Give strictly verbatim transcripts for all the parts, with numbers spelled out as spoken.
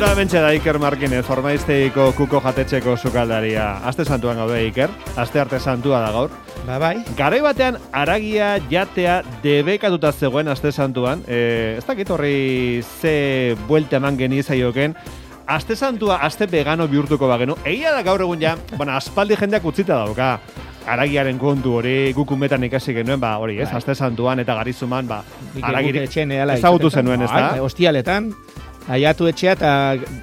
Bueno, bentsa da Iker Markinez, Ormaizteiko kuko jatetxeko sukaldaria. Aste santuan gaude, Iker. Aste arte santua da gaur. Ba, bai. Garai batean, aragia jatea debekatuta zegoen aste santuan. E, ez dakit horri ze buelte eman genizaioken. Aste santua, aste vegano bihurtuko bagenu. Egia da gaur egun ja, bueno, aspaldi jendeak utzita dauka. Aragiaren kontu hori gukumetan ikasi genuen, ba, hori, ez? Aste santuan eta garizuman, ba, aragirik ezagutu zenuen, ez da? Hostialetan, aiatu etxea eta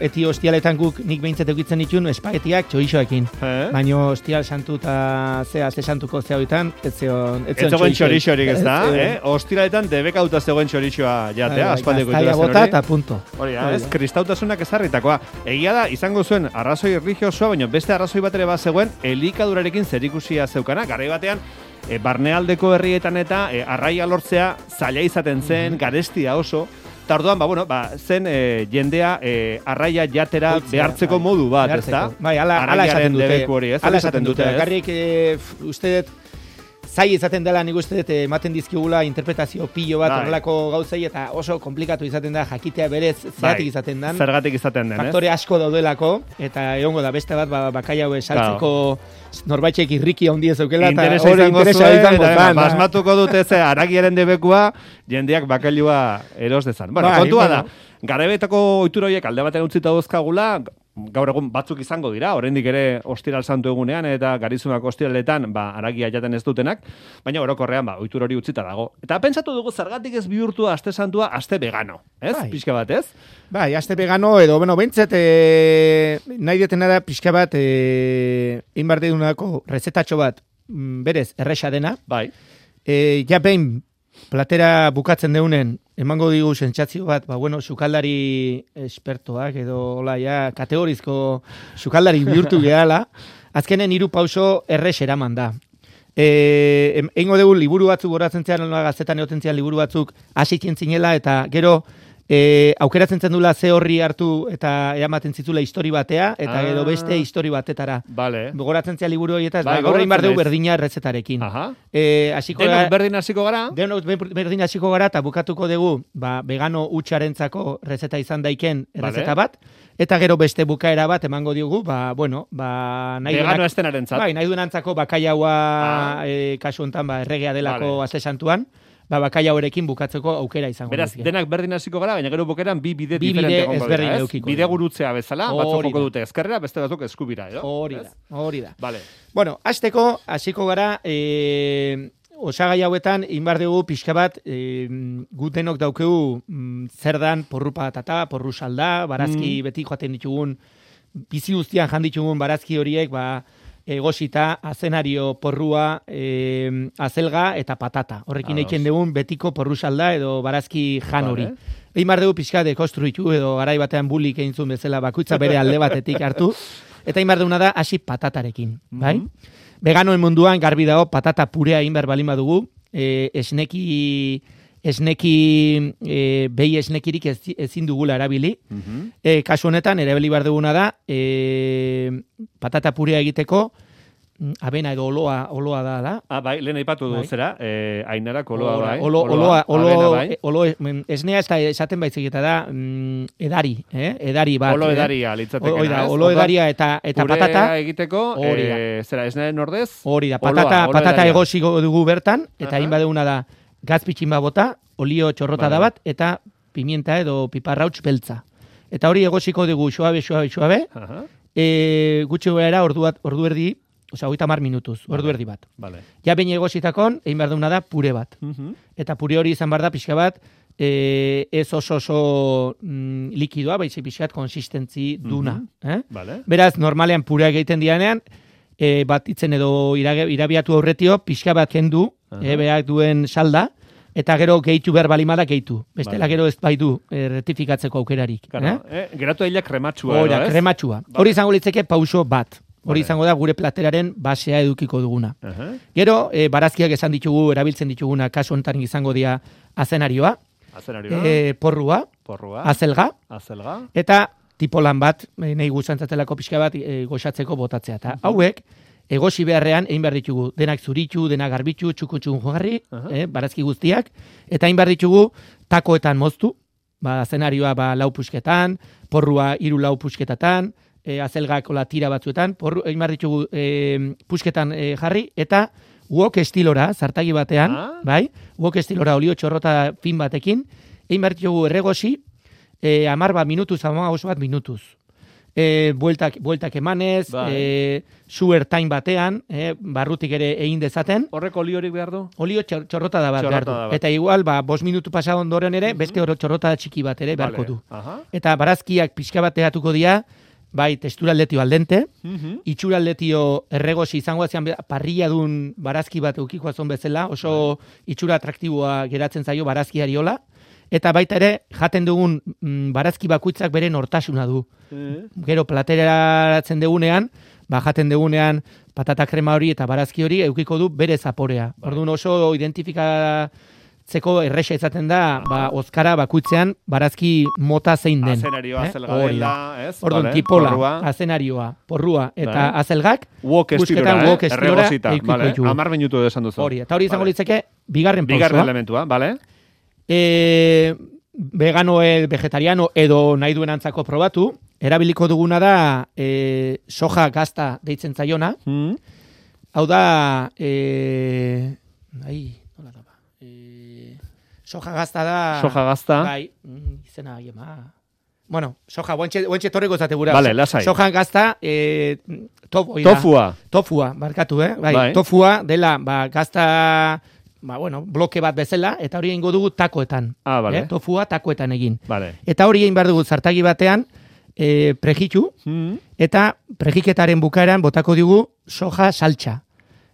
eti hostialetan guk nik behintzat eukitzen ditun espagetiak txorixoekin. Eh? Baina hostial santu eta ze aste santuko zehoetan, ez zegoen txorixorik, ez da? Eh? Hostialetan debekauta zegoen txorixoa jatea, aspaldiko iturazen hori. Bota eta punto. Hori, ez? Kristautasunak ezarritakoa. Egia da, izango zuen arrazoi erlijiosoa, baina beste arrazoi bat ere bat zegoen elikadurarekin zerikusia zeukana. Garai batean, e, barnealdeko herrietan eta e, arraia lortzea zaila izaten zen, mm-hmm. garestia oso. Tarduan, ba, bueno, ba, zen e, jendea e, arraia jatera Oitzea, behartzeko bai, modu bat, ez da? Bai, ala, ala esaten dute. Hori, ez? Ala esaten dute. Garrik, e, uste dut, zai izaten dela, nik uste dut, ematen dizkigula interpretazio pilo bat, horrelako gauzei, eta oso komplikatu izaten da, jakitea berez, zergatik izaten den. Zergatik izaten den, ez? Faktore asko daudelako, eta egongo da, beste bat, ba, bakai haue saltzeko norbaitxek irriki handi ez eukela, eta hori interesa izango zan. Basmatuko dute ze, aragiaren debekua, jendeak bakailua eros dezan. Bueno, kontua da, garebetako ohitura horiek alde batean utzita dauzkagula, gaur egun batzuk izango dira, oraindik ere ostiral santu egunean eta garizumak ostiraletan ba, aragia jaten ez dutenak, baina orokorrean ba, ohitura hori utzita dago. Eta pentsatu dugu zergatik ez bihurtu aste santua aste vegano, ez? Bai. Pixka bat, ez? Bai, aste vegano edo, bueno, behintzat e, nahi detena da pixka bat e, inbardedunako rezetatxo bat berez erresa dena. Bai. E, ja behin platera bukatzen deunen, emango digu sentsazio bat, ba, bueno, sukaldari espertoak edo, hola, ja, kategorizko sukaldari bihurtu gehala, azkenen hiru pauso errex eraman da. E, Eingo dugu liburu batzuk goratzen zean, gazetan egoten zean liburu batzuk hasitzen zinela, eta gero e, aukeratzen zen dula ze horri hartu eta eramaten zitula histori batea, eta gero beste histori batetara. Vale. Goratzen zean liburu horietaz, ba, gaur egin behar dugu berdina errezetarekin. Aha. E, Denok berdin hasiko gara? Denok berdin hasiko gara, eta bukatuko dugu ba, vegano hutsarentzako rezeta izan daiken errezeta bat, eta gero beste bukaera bat emango diogu, ba, bueno, ba, nahi vegano estenarentzat. Bai, nahi duenantzako bakaiaua ah. e, kasu hontan ba, erregea delako vale. Aste santuan, ba, bakaia horekin bukatzeko aukera izango. Beraz, dizke. Denak berdin hasiko gara, baina gero bukeran bi bide bi diferente gongo dira, ez? Bide gurutzea bezala, batzuk joko dute ezkerrera, beste batzuk eskubira, edo? Hori da, hori da. Vale. Bueno, hasteko hasiko gara, e, osagai hauetan, inbar dugu pixka bat, e, gutenok daukegu mm, zer dan porru patata, porru salda, barazki mm. beti joaten ditugun, bizi guztian jan ditugun barazki horiek, ba, egosita, azenario, porrua, e, azelga eta patata. Horrekin eiken dugun betiko porru salda edo barazki jan hori. Vale. Egin bar dugu pixka dekonstruitu edo garai batean bulik egin zuen bezala bakoitza bere alde batetik hartu. Eta egin bar duguna da hasi patatarekin. Mm-hmm. Bai? Veganoen munduan garbi dago patata purea egin behar balin badugu. E, esneki... esneki, e, behi esnekirik ez, ezin dugula erabili. Mm-hmm. E, kasu honetan, erabili behar duguna da, e, patata purea egiteko, abena edo oloa, oloa da, da. Ah, bai, lehen aipatu du zera, eh, Ainarak oloa, bai. Olo, oloa, olo, olo, bai. olo, esnea ez da esaten baizik eta da, mm, edari, eh? Edari bat. Olo edaria, litzateke. Oida, olo edaria eta, eta patata. Purea egiteko, eh, zera, esnearen ordez. Hori da, patata, oloa, patata egosiko dugu bertan, eta hain badeguna da, gazpitxin bat bota, olio txorrota da bat, eta pimienta edo piparrauts beltza. Eta hori egosiko dugu suabe, suabe, suabe, uh-huh. e, gutxi gara ordu, ordu erdi, oza, hogeita hamar minutuz, ordu erdi bat. Vale. Ja behin egositakon, egin behar duguna da pure bat. Uh-huh. Eta pure hori izan behar da pixka bat, e, ez oso oso mm, likidoa, baizik pixka bat konsistentzi duna. Uh-huh. eh? Vale. Beraz, normalean pureak egiten dianean, e, bat itzen edo irabiatu aurretio, pixka bat kendu, uh-huh. e, behar duen salda, eta gero gehitu behar balimada gehitu. Bestela vale. Gero ez bai du e, rectifikatzeko aukerarik. Claro, eh? Eh, geratu ailak krematsua. Hora, krematsua. Vale. Hori izango litzeke pauso bat. Hori vale. Izango da gure plateraren basea edukiko duguna. Uh-huh. Gero, e, barazkiak esan ditugu, erabiltzen dituguna, kasu honetan izango dira azenarioa, azenarioa. E, porrua, porrua, azelga, azelga, eta tipo lan bat, e, nahi guztantzatelako pixka bat e, goxatzeko botatzea. Eta uh-huh. hauek, egosi beharrean, egin behar ditugu, denak zuritu, denak garbitu, txukun-txukun jogarri, uh-huh. eh, barazki guztiak, eta egin behar ditugu takoetan moztu, ba, zenarioa ba, lau pusketan, porrua hiru lau pusketatan, e, azelgak ola tira batzuetan, porru, egin behar ditugu e, pusketan e, jarri, eta wok estilora, zartagi batean, ah? bai, wok estilora olio txorrota fin batekin, egin behar ditugu erregosi, e, amar bat minutuz, amar oso bat minutuz. E, bueltak, bueltak emanez, bai. e, su ertain batean, e, barrutik ere egin dezaten. Horrek oliorik behar du? Olio txorrota da bat behar du. Eta igual, ba, bost minutu pasa ondoren ere, uh-huh. beste txorrota txiki bat ere beharko du. Vale. Eta barazkiak pixka bat egatuko dira, bai, testura aldetio aldente, uh-huh. itxura aldetio erregosi izango azian parrilla dun barazki bat eukiko azon bezala, oso bai. itxura atraktiboa geratzen zaio barazkiari hola, eta baita ere, jaten dugun mm, barazki bakuitzak bere nortasuna du. Uh-huh. Gero plateratzen dugunean, ba, jaten dugunean patata krema hori eta barazki hori eukiko du bere zaporea. Bai. Orduan oso identifikatzeko erresa izaten da, ba, ozkara bakuitzean barazki mota zein den. Azenarioa, eh? azelga dela, ez? Orduan, vale. tipola, porrua. azenarioa, porrua, eta vale. azelgak, wok estilora, eh? erregosita, vale. amar minutu esan duzu. Hori, eta hori izango vale. litzeke, bigarren pausua. Bigarren elementua, bale? E, vegano, e, vegetariano edo nahi duen antzako probatu, erabiliko duguna da e, soja gazta deitzen zaiona. Mm. Hau da, e, ai, nola da ba, e, soja gazta da... Soja gazta. Bai, izena, jema... Bueno, soja, guantxe torreko zate gura. Vale, lasai. Soja gazta, e, tof, tofua. Tofua, barkatu, eh? Bai, bai. Tofua dela, ba, gazta... Ba, bueno, bloke bat bezala, eta hori egingo dugu takoetan. Ah, vale. Eh? Tofua takoetan egin. Vale. Eta hori egin behar dugu zartagi batean, e, prejitu, mm. eta prejiketaren bukaeran botako dugu soja saltxa.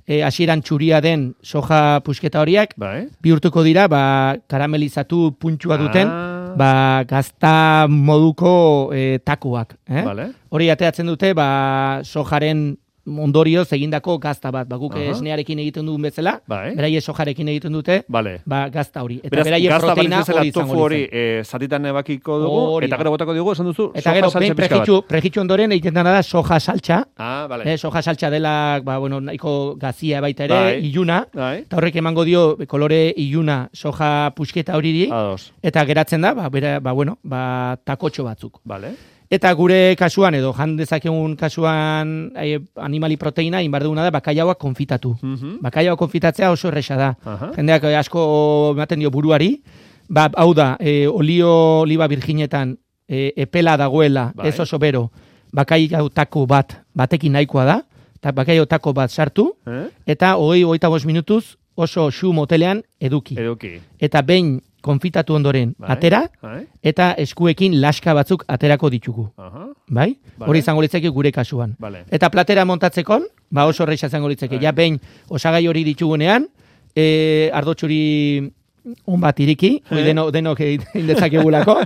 E, hasieran txuria den soja pusketa horiak, bai. bihurtuko dira, ba, karamelizatu puntxua duten, ah. ba, gazta moduko e, takoak. Eh? Vale. Hori ateatzen dute, ba, sojaren ondorioz egindako gazta bat. Ba, guk uh-huh. esnearekin egiten duen bezala, bai. beraie sojarekin egiten dute, vale. ba, gazta hori. Eta beraz, beraie proteina hori izango tofu hori e, zatitan ebakiko dugu, hori eta gero botako dugu, esan duzu, eta gero, soja saltxa pixka bat. Prejitxu ondoren egiten dena da soja saltxa. Ah, vale. Eh, soja saltxa dela, ba, bueno, nahiko gazia baita ere, bai. iluna. Bai. Eta horrek emango dio kolore iluna soja pusketa horiri. Ados. Eta geratzen da, ba, bera, ba, bueno, ba, takotxo batzuk. Vale. Eta gure kasuan, edo jan dezakegun kasuan eh, animali proteina, inbar duguna da, bakaiaua konfitatu. Uh-huh. Bakaiaua konfitatzea oso erresa da. Uh-huh. Jendeak asko ematen dio buruari. Ba, hau da, e, olio oliba virginetan e, epela dagoela, bai. ez oso bero, bakaiau tako bat, batekin nahikoa da, eta bakaiau tako bat sartu, eh? eta hogei, hogeita bost minutuz oso xu motelean eduki. Eduki. Eta behin konfitatu ondoren bai, atera, bai. eta eskuekin laska batzuk aterako ditugu. Aha. Bai? Vale. Hori izango litzeke gure kasuan. Vale. Eta platera montatzekon, ba oso horreixa izango litzeke. Ja behin osagai hori ditugunean, e, ardotxuri un bat iriki, eh? deno, denok egin dezakegulako,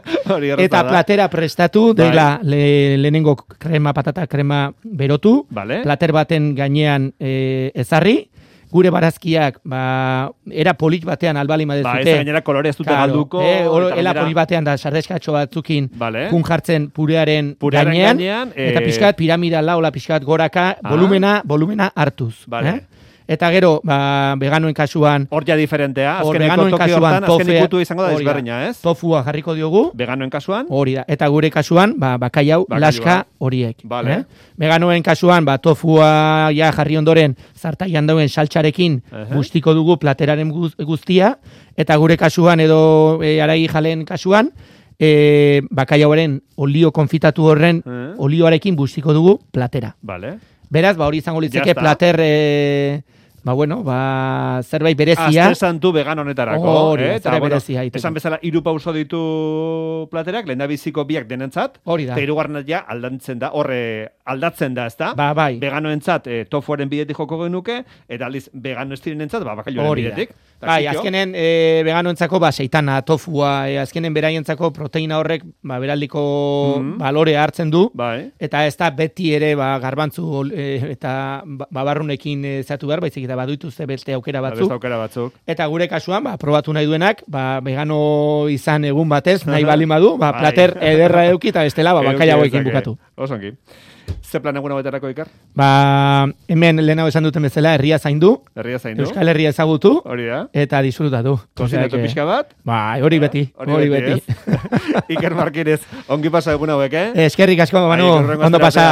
eta platera prestatu, dela le, lehenengo krema, patata krema berotu, vale. plater baten gainean e, ezarri, gure barazkiak, ba, era polit batean albali madezute. Ba, ez gainera kolore ez dute claro, galduko. Eh, oro, ela polit batean da sardeskatxo batzukin vale. kun jartzen purearen, purearen gainean, gainean e... eta pixkat piramida laula, pixkat goraka, ah. volumena, volumena hartuz. Vale. Eh? Eta gero, ba, veganoen kasuan... Hor ja diferentea. Azkeneko toki hortan, azken ikutu izango da ezberdina, ez? Tofua jarriko diogu. Veganoen kasuan? Hori da. Eta gure kasuan, ba, bakaiau, laska horiek. Vale. Eh? Veganoen kasuan, ba, tofua ja jarri ondoren, zartaian dauen saltxarekin uh-huh. guztiko dugu plateraren guztia. Eta gure kasuan, edo e, aragi jalen kasuan, e, bakaiauaren olio konfitatu horren uh-huh. olioarekin guztiko dugu platera. Vale. Beraz, ba, hori izango litzeke plater... E, Ba, bueno, ba, zerbait berezia. Azte santu vegan honetarako. Hori, eh? zerbait bueno, berezia. Esan bezala, hiru pauso ditu platerak, lehen da biziko biak denentzat. Hori da. Eta hirugarrenak ja aldatzen da, horre aldatzen da, ezta? Ba, bai. Veganoentzat e, tofuaren bidetik joko genuke, eta aldiz vegano estirenentzat, ba, bakailoaren bidetik. Bai, azkenen e, veganoentzako, ba, seitana, tofua, e, azkenen beraientzako proteina horrek, ba, beraldiko mm-hmm. balore hartzen du. Bai. Eta ez da beti ere, ba, garbantzu e, eta babarrunekin e, zatu behar, baizik eta baduitu ze beste aukera batzuk. Beste aukera batzuk. Eta gure kasuan, ba, probatu nahi duenak, ba, vegano izan egun batez, nahi bali madu, ba, plater ederra eduki eta bestela, ba, bakaia hauekin bukatu. Osongi. Ze plan egun hauetarako, Ikar? Ba, hemen lehenago esan duten bezala, herria zaindu. Herria zaindu. Euskal Herria ezagutu. Hori da. Eta disfrutatu. Kozinatu pixka bat. Ba, hori beti. Hori beti. Iker Markínez, ongi pasa egun hauek, eh? Eskerrik asko, Manu, ondo pasa.